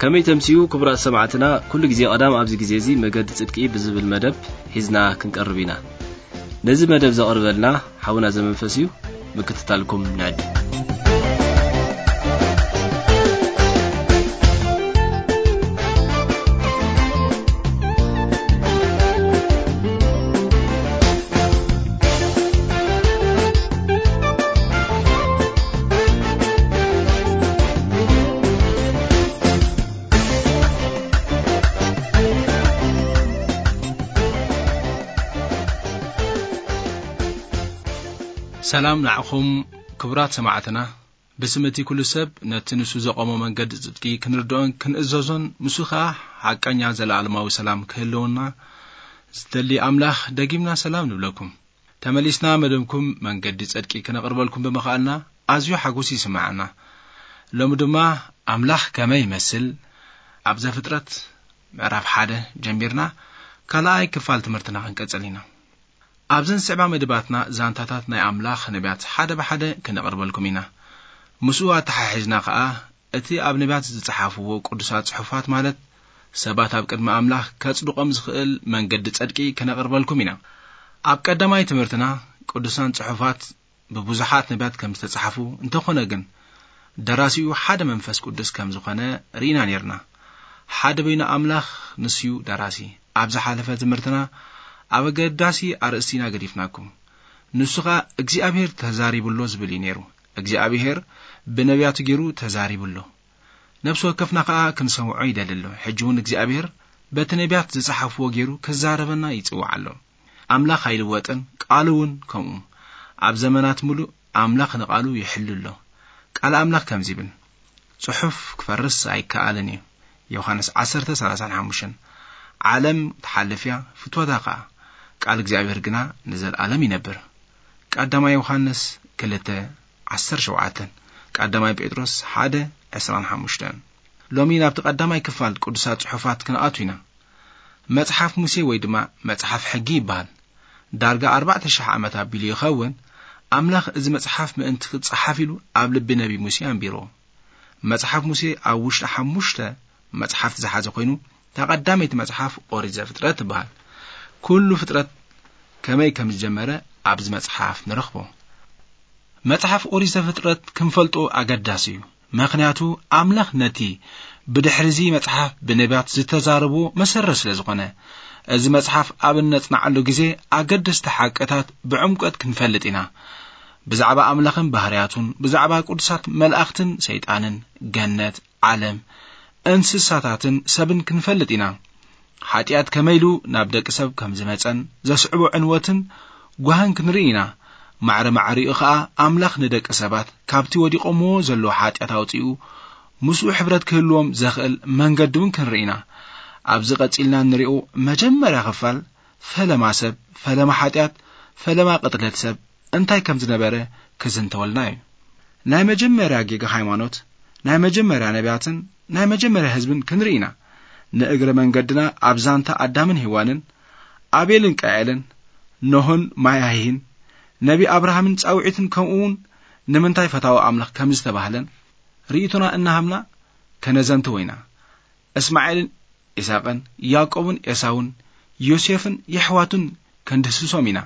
ከመይ ተምስዩ ክቡራት ሰማዕትና፣ ኩሉ ግዜ ቀዳም ኣብዚ ግዜ እዚ መገዲ ጽድቂ ብዝብል መደብ ሒዝና ክንቀርብ ኢና። ነዚ መደብ ዘቕርበልና ሓውና ዘመንፈስ እዩ። ምክትታልኩም ንዕድም። ሰላም ንዓኹም ክቡራት ሰማዕትና። ብስም እቲ ኩሉ ሰብ ነቲ ንሱ ዘቆሞ መንገዲ ጽድቂ ክንርድኦን ክንእዘዞን፣ ንሱ ኸኣ ሓቀኛ ዘለኣለማዊ ሰላም ክህልወና ዝደሊ ኣምላኽ ደጊምና ሰላም ንብለኩም። ተመሊስና መደብኩም መንገዲ ጽድቂ ክነቕርበልኩም ብምኽኣልና ኣዝዩ ሓጎስ ይስምዓና። ሎሚ ድማ ኣምላኽ ከመይ ይመስል ኣብ ዘፍጥረት ምዕራፍ ሓደ ጀሚርና ካልኣይ ክፋል ትምህርትና ክንቀጽል ኢና። ኣብዘን ዝስዕባ መደባትና ዛንታታት ናይ ኣምላኽ ነቢያት ሓደ ብሓደ ክነቕርበልኩም ኢና። ምስኡ ኣተሓሒዝና ኸኣ እቲ ኣብ ነቢያት ዝጸሓፍዎ ቅዱሳት ጽሑፋት፣ ማለት ሰባት ኣብ ቅድሚ ኣምላኽ ከጽድቖም ዝኽእል መንገዲ ጽድቂ ክነቕርበልኩም ኢና። ኣብ ቀዳማይ ትምህርትና ቅዱሳን ጽሑፋት ብብዙሓት ነቢያት ከም ዝተጻሕፉ፣ እንተኾነ ግን ደራሲኡ ሓደ መንፈስ ቅዱስ ከም ዝኾነ ርኢና ኔርና። ሓደ በይኑ ኣምላኽ ንሱዩ ደራሲ። ኣብ ዝሓለፈ ትምህርትና ኣብ ኣገዳሲ ኣርእስቲ ኢና ገዲፍናኩም። ንሱ ኸኣ እግዚኣብሔር ተዛሪቡ ኣሎ ዝብል እዩ ነይሩ። እግዚኣብሔር ብነቢያቱ ገይሩ ተዛሪቡ ኣሎ። ነፍሲ ወከፍና ኸኣ ክንሰምዖ ይደሊ ኣሎ። ሕጂ እውን እግዚኣብሔር በቲ ነቢያት ዝጸሓፍዎ ገይሩ ክዛረበና ይጽውዕ ኣሎ። ኣምላኽ ኣይልወጥን፣ ቃሉ እውን ከምኡ። ኣብ ዘመናት ምሉእ ኣምላኽ ንቃሉ ይሕሉ ኣሎ። ቃል ኣምላኽ ከምዚ ይብል፣ "ጽሑፍ ክፈርስ ኣይከኣልን እዩ።" ዮሃንስ ዓሰርተ ሰላሳን ሓሙሽተን። ዓለም ትሓልፍ እያ፣ ፍትወታ ኸኣ፣ ቃል እግዚኣብሔር ግና ንዘለኣለም ይነብር። ቀዳማይ ዮሃንስ ክልተ ዓሰርተ ሸውዓተን፣ ቀዳማይ ጴጥሮስ ሓደ ዕስራን ሓሙሽተን። ሎሚ ናብቲ ቀዳማይ ክፋል ቅዱሳት ጽሑፋት ክንኣቱ ኢና። መጽሓፍ ሙሴ ወይ ድማ መጽሓፍ ሕጊ ይበሃል። ዳርጋ ኣርባዕተ ሽሕ ዓመት ኣቢሉ ይኸውን፣ ኣምላኽ እዚ መጽሓፍ ምእንቲ ክጸሓፍ ኢሉ ኣብ ልቢ ነቢ ሙሴ ኣንቢርዎ። መጽሓፍ ሙሴ ኣብ ውሽጢ ሓሙሽተ መጽሓፍቲ ዝሓዘ ኮይኑ፣ እታ ቀዳመይቲ መጽሓፍ ኦሪት ዘፍጥረት ትበሃል። ኩሉ ፍጥረት ከመይ ከም ዝጀመረ ኣብዚ መጽሓፍ ንረኽቦ። መጽሓፍ ኦሪት ዘፍጥረት ክንፈልጦ ኣገዳሲ እዩ። ምኽንያቱ ኣምላኽ ነቲ ብድሕሪ እዚ መጽሓፍ ብነቢያት ዝተዛረብዎ መሰረት ስለ ዝኾነ፣ እዚ መጽሓፍ ኣብ እነጽንዓሉ ግዜ ኣገደስቲ ሓቅታት ብዕምቆት ክንፈልጥ ኢና። ብዛዕባ ኣምላኽን ባህርያቱን፣ ብዛዕባ ቅዱሳት መላእኽትን ሰይጣንን፣ ገነት፣ ዓለም፣ እንስሳታትን ሰብን ክንፈልጥ ኢና። ሓጢኣት ከመይ ኢሉ ናብ ደቂ ሰብ ከም ዝመጸን ዘስዕቦ ዕንወትን ጓህን ክንርኢ ኢና። ማዕረ ማዕሪኡ ኸኣ ኣምላኽ ንደቂ ሰባት ካብቲ ወዲቖምዎ ዘለዉ ሓጢኣት ኣውጺኡ ምስኡ ሕብረት ክህልዎም ዘኽእል መንገዲ እውን ክንርኢ ኢና። ኣብዚ ቀጺልና እንሪኦ መጀመርያ ክፋል ፈለማ ሰብ፣ ፈለማ ሓጢኣት፣ ፈለማ ቅትለት ሰብ እንታይ ከም ዝነበረ ክዝንተወልና እዩ። ናይ መጀመርያ ጌጋ ሃይማኖት፣ ናይ መጀመርያ ነቢያትን ናይ መጀመርያ ህዝብን ክንርኢ ኢና። ንእግረ መንገድና ኣብ ዛንታ ኣዳምን ሄዋንን፣ ኣቤልን ቃኤልን፣ ኖህን ማያሂህን፣ ነቢ ኣብርሃምን ጻውዒትን፣ ከምኡ እውን ንምንታይ ፈታዊ ኣምላኽ ከም ዝተባህለን ርእይቶና እናሃብና ከነዘንትው ኢና። እስማኤልን ኢሳቕን፣ ያዕቆብን ኤሳውን፣ ዮሴፍን የሕዋቱን ከንድህስሶም ኢና።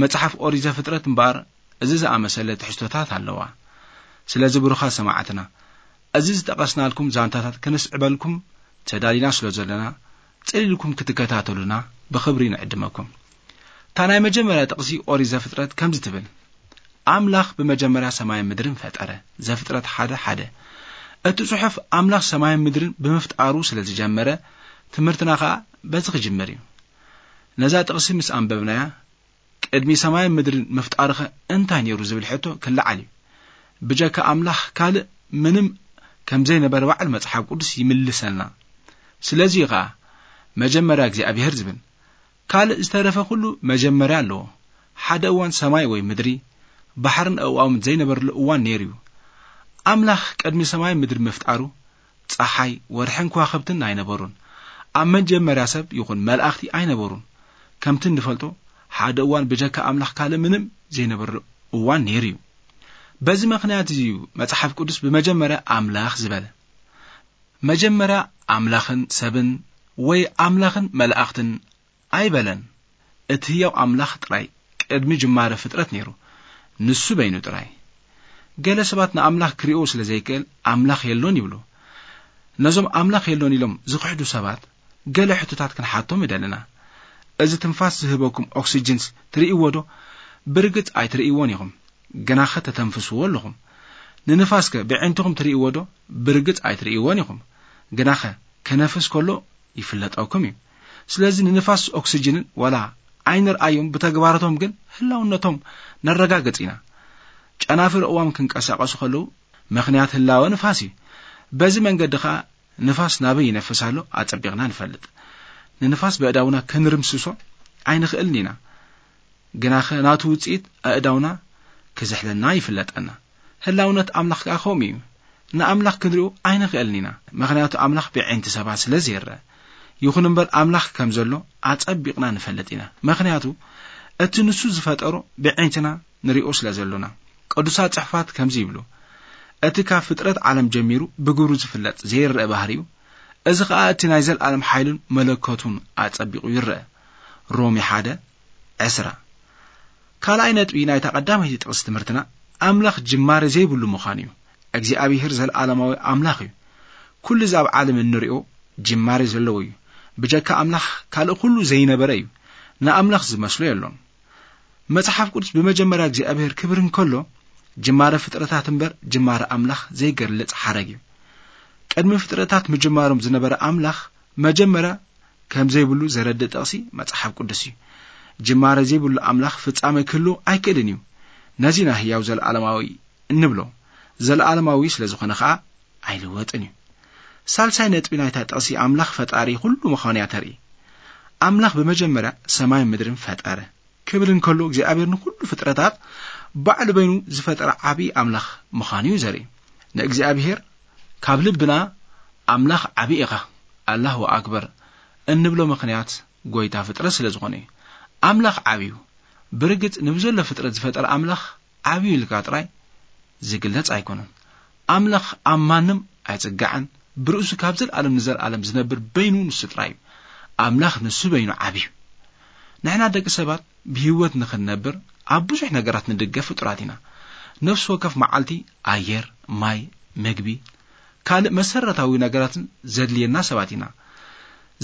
መጽሓፍ ኦሪት ዘፍጥረት እምበኣር እዚ ዝኣመሰለ ትሕዝቶታት ኣለዋ። ስለዚ ብሩኻት ሰማዕትና፣ እዚ ዝጠቐስናልኩም ዛንታታት ከነስዕበልኩም ተዳሊና ስለ ዘለና፣ ጽን ኢልኩም ክትከታተሉና ብኽብሪ ንዕድመኩም። እታ ናይ መጀመርያ ጥቕሲ ኦሪት ዘፍጥረት ከምዚ ትብል፣ ኣምላኽ ብመጀመርያ ሰማይን ምድርን ፈጠረ። ዘፍጥረት ሓደ ሓደ። እቲ ጽሑፍ ኣምላኽ ሰማይን ምድርን ብምፍጣሩ ስለ ዝጀመረ፣ ትምህርትና ኸኣ በዚ ክጅምር እዩ። ነዛ ጥቕሲ ምስ ኣንበብናያ፣ ቅድሚ ሰማይን ምድርን ምፍጣርኸ እንታይ ነይሩ ዝብል ሕቶ ክለዓል እዩ። ብጀካ ኣምላኽ ካልእ ምንም ከም ዘይነበረ ባዕሉ መጽሓፍ ቅዱስ ይምልሰልና። ስለዚ እዩ ኸኣ መጀመርያ እግዚኣብሔር ዝብል። ካልእ ዝተረፈ ኩሉ መጀመርያ ኣለዎ። ሓደ እዋን ሰማይ ወይ ምድሪ፣ ባሕርን ኣእዋምን ዘይነበረሉ እዋን ነይሩ እዩ። ኣምላኽ ቅድሚ ሰማይ ምድሪ ምፍጣሩ፣ ጸሓይ፣ ወርሕን ከዋኽብትን ኣይነበሩን። ኣብ መጀመርያ ሰብ ይኹን መላእኽቲ ኣይነበሩን። ከምቲ እንፈልጦ፣ ሓደ እዋን ብጀካ ኣምላኽ ካልእ ምንም ዘይነበረሉ እዋን ነይሩ እዩ። በዚ ምኽንያት እዚ እዩ መጽሓፍ ቅዱስ ብመጀመርያ ኣምላኽ ዝበለ። መጀመርያ ኣምላኽን ሰብን ወይ ኣምላኽን መላእኽትን ኣይበለን። እቲ ህያው ኣምላኽ ጥራይ ቅድሚ ጅማረ ፍጥረት ነይሩ፣ ንሱ በይኑ ጥራይ። ገለ ሰባት ንኣምላኽ ክርእዮ ስለ ዘይክእል ኣምላኽ የሎን ይብሉ። ነዞም ኣምላኽ የሎን ኢሎም ዝኽሕዱ ሰባት ገለ ሕቶታት ክንሓቶም ይደልና። እዚ ትንፋስ ዝህበኩም ኦክስጅንስ ትርእይዎ ዶ? ብርግጽ ኣይትርእይዎን ኢኹም፣ ግናኸ ተተንፍስዎ ኣለኹም። ንንፋስከ ብዕንትኹም ትርእይዎ ዶ? ብርግጽ ኣይትርእይዎን ኢኹም፣ ግናኸ ከነፍስ ከሎ ይፍለጠኩም እዩ። ስለዚ ንንፋስ ኦክስጅንን ዋላ ኣይንርኣዮም፣ ብተግባራቶም ግን ህላውነቶም ነረጋግጽ ኢና። ጨናፍር እዋም ክንቀሳቐሱ ከለዉ ምኽንያት ህላወ ንፋስ እዩ። በዚ መንገዲ ኸኣ ንፋስ ናበይ ይነፍስ ኣሎ ኣጸቢቕና ንፈልጥ። ንንፋስ በእዳውና ክንርምስሶ ኣይንኽእልን ኢና። ግናኸ ናቱ ውጽኢት ኣእዳውና ክዝሕለና ይፍለጠና። ህላውነት ኣምላኽ ከኣ ከምኡ እዩ። ንኣምላኽ ክንሪኦ ኣይንኽእልን ኢና፣ ምኽንያቱ ኣምላኽ ብዕንቲ ሰባት ስለ ዘይረአ። ይኹን እምበር ኣምላኽ ከም ዘሎ ኣጸቢቕና ንፈልጥ ኢና፣ ምኽንያቱ እቲ ንሱ ዝፈጠሮ ብዕንትና ንሪኦ ስለ ዘሎና። ቅዱሳት ጽሑፋት ከምዚ ይብሉ፣ እቲ ካብ ፍጥረት ዓለም ጀሚሩ ብግብሩ ዝፍለጥ ዘይረአ ባህሪኡ፣ እዚ ኸኣ እቲ ናይ ዘለኣለም ሓይሉን መለኮቱን ኣጸቢቑ ይረአ። ሮሜ ሓደ ዕስራ። ካልኣይ ነጥቢ ናይታ ቀዳመይቲ ጥቕሲ ትምህርትና፣ ኣምላኽ ጅማሬ ዘይብሉ ምዃኑ እዩ። እግዚኣብሄር ዘለኣለማዊ ኣምላኽ እዩ። ኩሉ እዚ ኣብ ዓለም እንሪኦ ጅማሬ ዘለዎ እዩ። ብጀካ ኣምላኽ ካልእ ኩሉ ዘይነበረ እዩ። ንኣምላኽ ዝመስሎ የሎን። መጽሓፍ ቅዱስ ብመጀመርያ እግዚኣብሄር ክብር እንከሎ፣ ጅማረ ፍጥረታት እምበር ጅማረ ኣምላኽ ዘይገልጽ ሓረግ እዩ። ቅድሚ ፍጥረታት ምጅማሮም ዝነበረ ኣምላኽ መጀመርያ ከም ዘይብሉ ዘረድእ ጥቕሲ መጽሓፍ ቅዱስ እዩ። ጅማረ ዘይብሉ ኣምላኽ ፍጻመ ክህሉ ኣይክእልን እዩ። ነዚ ኢና ህያው ዘለኣለማዊ እንብሎ። ዘለኣለማዊ ስለ ዝኾነ ኸኣ ኣይልወጥን እዩ። ሳልሳይ ነጥቢ ናይታ ጥቕሲ ኣምላኽ ፈጣሪ ኩሉ ምዃኑ እያ ተርኢ። ኣምላኽ ብመጀመርያ ሰማይን ምድርን ፈጠረ ክብል እንከሎ፣ እግዚኣብሔር ንኹሉ ፍጥረታት ባዕሉ በይኑ ዝፈጠረ ዓብዪ ኣምላኽ ምዃኑ እዩ ዘርኢ። ንእግዚኣብሔር ካብ ልብና ኣምላኽ ዓብዪ ኢኻ፣ ኣላሁ ኣክበር እንብሎ ምኽንያት ጎይታ ፍጥረት ስለ ዝኾነ እዩ። ኣምላኽ ዓብዩ። ብርግጽ ንብዘሎ ፍጥረት ዝፈጠረ ኣምላኽ ዓብዩ ኢልካ ጥራይ ዝግለጽ ኣይኮነን። ኣምላኽ ኣብ ማንም ኣይጽጋዕን፣ ብርእሱ ካብ ዘለኣለም ንዘለኣለም ዝነብር በይኑ ንሱ ጥራይ እዩ። ኣምላኽ ንሱ በይኑ ዓብዩ። ንሕና ደቂ ሰባት ብህይወት ንኽንነብር ኣብ ብዙሕ ነገራት ንድገፍ ፍጡራት ኢና። ነፍሲ ወከፍ መዓልቲ ኣየር፣ ማይ፣ መግቢ፣ ካልእ መሰረታዊ ነገራትን ዘድልየና ሰባት ኢና።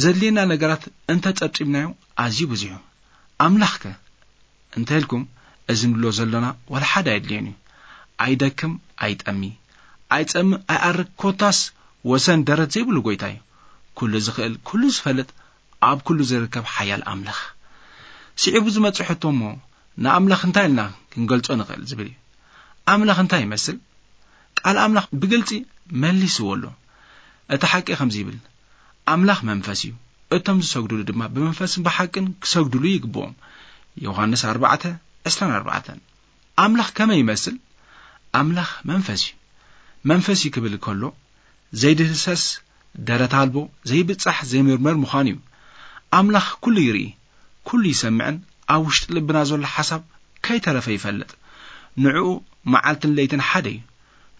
ዘድልየና ነገራት እንተ ጸብጺብናዮ ኣዝዩ ብዙሕ እዩ። ኣምላኽከ እንተ ኢልኩም፣ እዚ ንብሎ ዘሎና ዋላ ሓደ ኣየድልዮን እዩ። ኣይደክም፣ ኣይጠሚ፣ ኣይጸምእ፣ ኣይኣርግ፣ ኮታስ ወሰን ደረት ዘይብሉ ጎይታ እዩ። ኩሉ ዝኽእል፣ ኩሉ ዝፈልጥ፣ ኣብ ኩሉ ዝርከብ ሓያል ኣምላኽ። ስዒቡ ዝመጽእ ሕቶ እሞ፣ ንኣምላኽ እንታይ ኢልና ክንገልጾ ንኽእል ዝብል እዩ። ኣምላኽ እንታይ ይመስል? ቃል ኣምላኽ ብግልጺ መሊስዎ ኣሎ። እቲ ሓቂ ከምዚ ይብል፣ ኣምላኽ መንፈስ እዩ፣ እቶም ዝሰግዱሉ ድማ ብመንፈስን ብሓቅን ክሰግዱሉ ይግብኦም። ዮሃንስ ኣርባዕተ ዕስራን ኣርባዕተን። ኣምላኽ ከመይ ይመስል? ኣምላኽ መንፈስ እዩ። መንፈስ እዩ ክብል ከሎ፣ ዘይድህሰስ፣ ደረት ኣልቦ፣ ዘይብጻሕ፣ ዘይምርመር ምዃኑ እዩ። ኣምላኽ ኩሉ ይርኢ፣ ኩሉ ይሰምዕን ኣብ ውሽጢ ልብና ዘሎ ሓሳብ ከይተረፈ ይፈልጥ። ንዕኡ መዓልትን ለይትን ሓደ እዩ።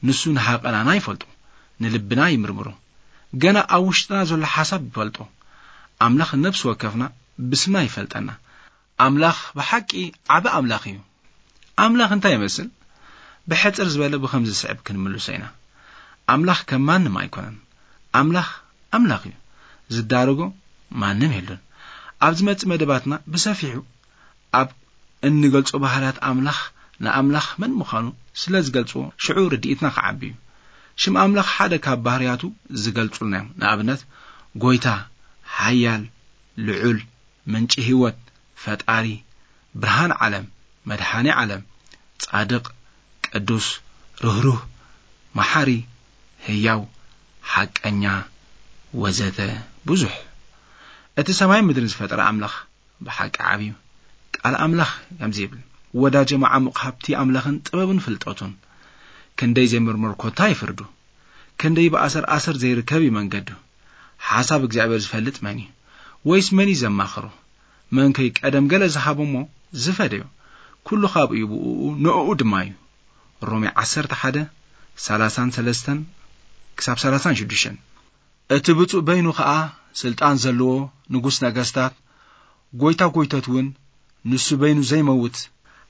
ንሱ ንሃቐናና ይፈልጦ፣ ንልብና ይምርምሮ። ገና ኣብ ውሽጥና ዘሎ ሓሳብ ይፈልጦ። ኣምላኽ ነፍሲ ወከፍና ብስምና ይፈልጠና። ኣምላኽ ብሓቂ ዓቢ ኣምላኽ እዩ። ኣምላኽ እንታይ ይመስል? ብሕጽር ዝበለ ብኸምዚ ዝስዕብ ክንምልሶ ኢና። ኣምላኽ ከም ማንም ኣይኮነን። ኣምላኽ ኣምላኽ እዩ። ዝዳረጎ ማንም የሎን። ኣብ ዝመጽእ መደባትና ብሰፊሑ ኣብ እንገልጾ ባህርያት ኣምላኽ፣ ንኣምላኽ መን ምዃኑ ስለ ዝገልጽዎ፣ ሽዑ ርድኢትና ክዓቢ እዩ። ሽም ኣምላኽ ሓደ ካብ ባህርያቱ ዝገልጹልና እዮም። ንኣብነት፣ ጎይታ፣ ሓያል፣ ልዑል፣ ምንጪ ህይወት፣ ፈጣሪ፣ ብርሃን ዓለም፣ መድሓኒ ዓለም፣ ጻድቕ፣ ቅዱስ፣ ርህሩህ፣ መሓሪ፣ ህያው፣ ሓቀኛ፣ ወዘተ ብዙሕ። እቲ ሰማይ ምድርን ዝፈጠረ ኣምላኽ ብሓቂ ዓብዩ። ቃል ኣምላኽ ከምዚ ይብል፣ "ወዳጀ መዓሙቕ ሃብቲ ኣምላኽን ጥበብን ፍልጠቱን። ክንደይ ዘይምርመር ኮታ ይፍርዱ። ክንደይ ብኣሰር ኣሰር ዘይርከብ እዩ መንገዱ። ሓሳብ እግዚኣብሔር ዝፈልጥ መን እዩ? ወይስ መን እዩ ዘማኽሮ? መን ከይ ቀደም ገለ ዝሃቦ እሞ ዝፈደዮ? ኩሉ ካብኡ እዩ፣ ብእኡ ንእኡ ድማ እዩ።" ሮሜ ዓሰርተ ሓደ፣ ሰላሳን ሰለስተን ክሳብ ሰላሳን ሽዱሽተን። እቲ ብፁዕ በይኑ ኸኣ ስልጣን ዘለዎ ንጉስ ነገስታት፣ ጎይታ ጎይቶት እውን፣ ንሱ በይኑ ዘይመውት፣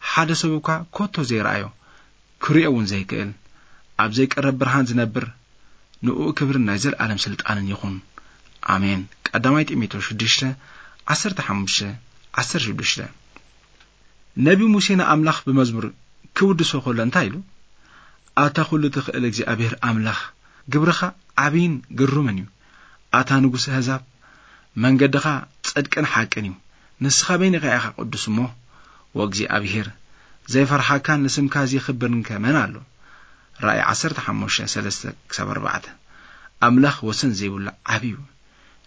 ሓደ ሰብ እኳ ኮቶ ዘይረኣዮ፣ ክርእዮ እውን ዘይክእል፣ ኣብ ዘይቀረብ ብርሃን ዝነብር፣ ንእኡ ክብርን ናይ ዘለኣለም ስልጣንን ይኹን። ኣሜን። ቀዳማይ ጢሞቴዎስ ሽዱሽተ፣ ዓሰርተ ሓሙሽተ፣ ዓሰርተ ሽዱሽተ። ነቢ ሙሴ ንኣምላኽ ብመዝሙር ክውድሶ ከሎ እንታይ ኢሉ? ኣታ ኩሉ ትኽእል እግዚኣብሔር ኣምላኽ፣ ግብርኻ ዓብይን ግሩምን እዩ። ኣታ ንጉስ ኣህዛብ፣ መንገድኻ ጽድቅን ሓቅን እዩ። ንስኻ በይንኻ ኢኻ ቅዱስ እሞ፣ ወእግዚኣብሔር፣ ዘይፈርሓካን ንስምካ ዘይኽብርን ከ መን ኣሎ? ራእይ ዓሰርተ ሓሙሽተ፣ ሰለስተ ክሳብ ኣርባዕተ። ኣምላኽ ወሰን ዘይብሉ ዓቢ እዩ።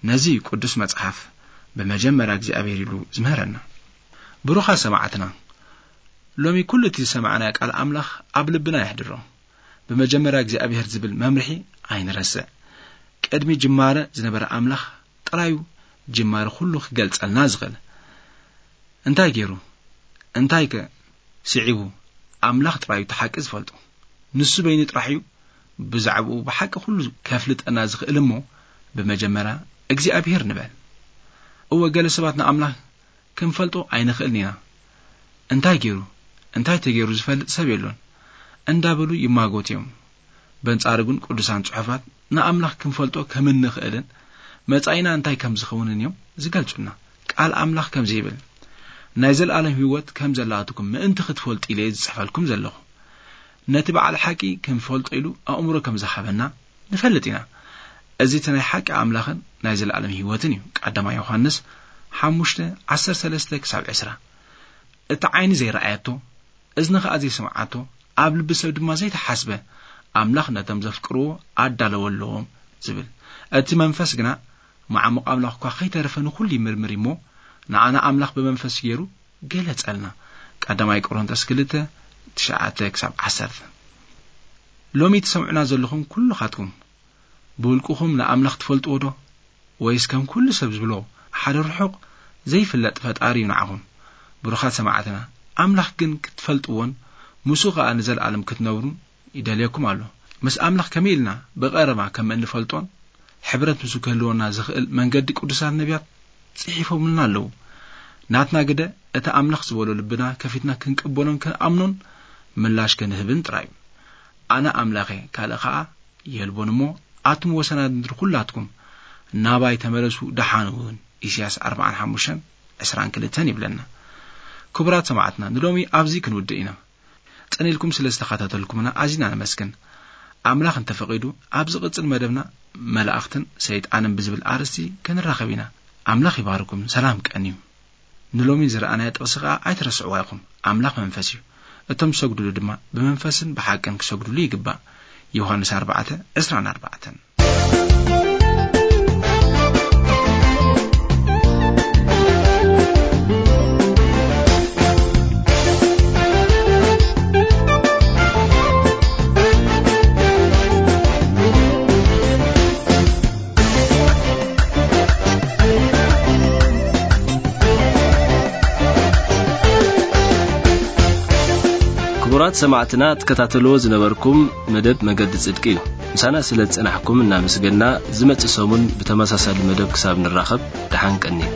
ነዚ ቅዱስ መጽሓፍ ብመጀመርያ እግዚኣብሔር ኢሉ ዝምህረና። ብሩኻ ሰማዕትና፣ ሎሚ ኩሉ እቲ ዝሰማዕናዮ ቃል ኣምላኽ ኣብ ልብና የሕድሮ። ብመጀመርያ እግዚኣብሔር ዝብል መምርሒ ኣይንረስዕ። ቅድሚ ጅማረ ዝነበረ ኣምላኽ ጥራዩ ጅማረ ኩሉ ክገልጸልና ዝኽእል። እንታይ ገይሩ? እንታይ ከ ስዒቡ? ኣምላኽ ጥራዩ እቲ ሓቂ ዝፈልጦ። ንሱ በይኑ ጥራሕ እዩ ብዛዕባኡ ብሓቂ ኩሉ ከፍልጠና ዝኽእል እሞ፣ ብመጀመርያ እግዚኣብሔር ንበል። እወ፣ ገለ ሰባት ንኣምላኽ ክንፈልጦ ኣይንኽእልን ኢና። እንታይ ገይሩ? እንታይ ተገይሩ ዝፈልጥ ሰብ የሎን እንዳበሉ ይማጎት እዮም። በንጻሩ ግን ቅዱሳን ጽሑፋት ንኣምላኽ ክንፈልጦ ከም እንኽእልን መጻኢና እንታይ ከም ዝኸውንን እዮም ዝገልጹልና። ቃል ኣምላኽ ከምዚ ይብል፣ ናይ ዘለኣለም ህይወት ከም ዘላትኩም ምእንቲ ክትፈልጡ ኢለ ዝጽሕፈልኩም ዘለኹ። ነቲ በዓል ሓቂ ክንፈልጦ ኢሉ ኣእምሮ ከም ዝሃበና ንፈልጥ ኢና። እዚ እቲ ናይ ሓቂ ኣምላኽን ናይ ዘለኣለም ህይወትን እዩ። ቀዳማይ ዮሃንስ ሓሙሽተ፣ ዓሰርተ ሰለስተ ክሳብ ዕስራ። እቲ ዓይኒ ዘይረኣየቶ፣ እዝኒ ኸኣ ዘይሰምዓቶ፣ ኣብ ልቢ ሰብ ድማ ዘይተሓስበ፣ ኣምላኽ ነቶም ዘፍቅርዎ ኣዳለወ ኣለዎም ዝብል። እቲ መንፈስ ግና መዓሙቕ ኣምላኽ እኳ ኸይተረፈ ንኹሉ ይምርምር እዩ እሞ፣ ንዓና ኣምላኽ ብመንፈስ ገይሩ ገለጸልና። ቀዳማይ ቆሮንቶስ ክልተ፣ ትሽዓተ ክሳብ ዓሰርተ። ሎሚ ትሰምዑና ዘለኹም ኩልኻትኩም፣ ብውልቅኹም ንኣምላኽ ትፈልጥዎ ዶ? ወይስ ከም ኩሉ ሰብ ዝብሎ፣ ሓደ ርሑቕ ዘይፍለጥ ፈጣሪ እዩ ንዓኹም? ብሩኻት ሰማዕትና፣ ኣምላኽ ግን ክትፈልጥዎን ምስኡ ኸኣ ንዘለኣለም ክትነብሩን ይደልየኩም ኣሎ። ምስ ኣምላኽ ከመይ ኢልና ብቐረባ ከም እንፈልጦን ሕብረት ምስኡ ክህልወና ዝኽእል መንገዲ ቅዱሳት ነቢያት ጽሒፎምልና ኣለዉ። ናትና ግደ እቲ ኣምላኽ ዝበሎ ልብና ከፊትና ክንቅበሎን ክንኣምኖን ምላሽ ክንህብን ጥራይ እዩ። ኣነ ኣምላኽ እየ፣ ካልእ ኸኣ የልቦን እሞ፣ ኣቱም ወሰናት ምድሪ ኹላትኩም ናባይ ተመለሱ፣ ደሓን እውን። ኢሳያስ ኣርብዓን ሓሙሽተን ዕስራን ክልተን ይብለና። ክቡራት ሰማዕትና፣ ንሎሚ ኣብዚ ክንውድእ ኢና። ጽን ኢልኩም ስለ ዝተኸታተልኩምና ኣዚና ነመስግን። ኣምላኽ እንተፈቒዱ፣ ኣብ ዝቕጽል መደብና መላእኽትን ሰይጣንን ብዝብል ኣርእስቲ ክንራኸብ ኢና። ኣምላኽ ይባርኩም። ሰላም ቀንዩ። ንሎሚ ዝረኣናዮ ጥቕሲ ኸኣ ኣይትረስዕዋ ኢኹም። ኣምላኽ መንፈስ እዩ። እቶም ዝሰግዱሉ ድማ ብመንፈስን ብሓቅን ክሰግዱሉ ይግባእ። ዮሃንስ ኣርባዕተ፣ ዕስራን ኣርባዕተን። ክቡራት ሰማዕትና፣ ትከታተልዎ ዝነበርኩም መደብ መገዲ ጽድቂ እዩ። ምሳና ስለ ዝጸናሕኩም እናመስገና፣ ዝመጽእ ሰሙን ብተመሳሳሊ መደብ ክሳብ ንራኸብ፣ ደሓን ቀንዩ።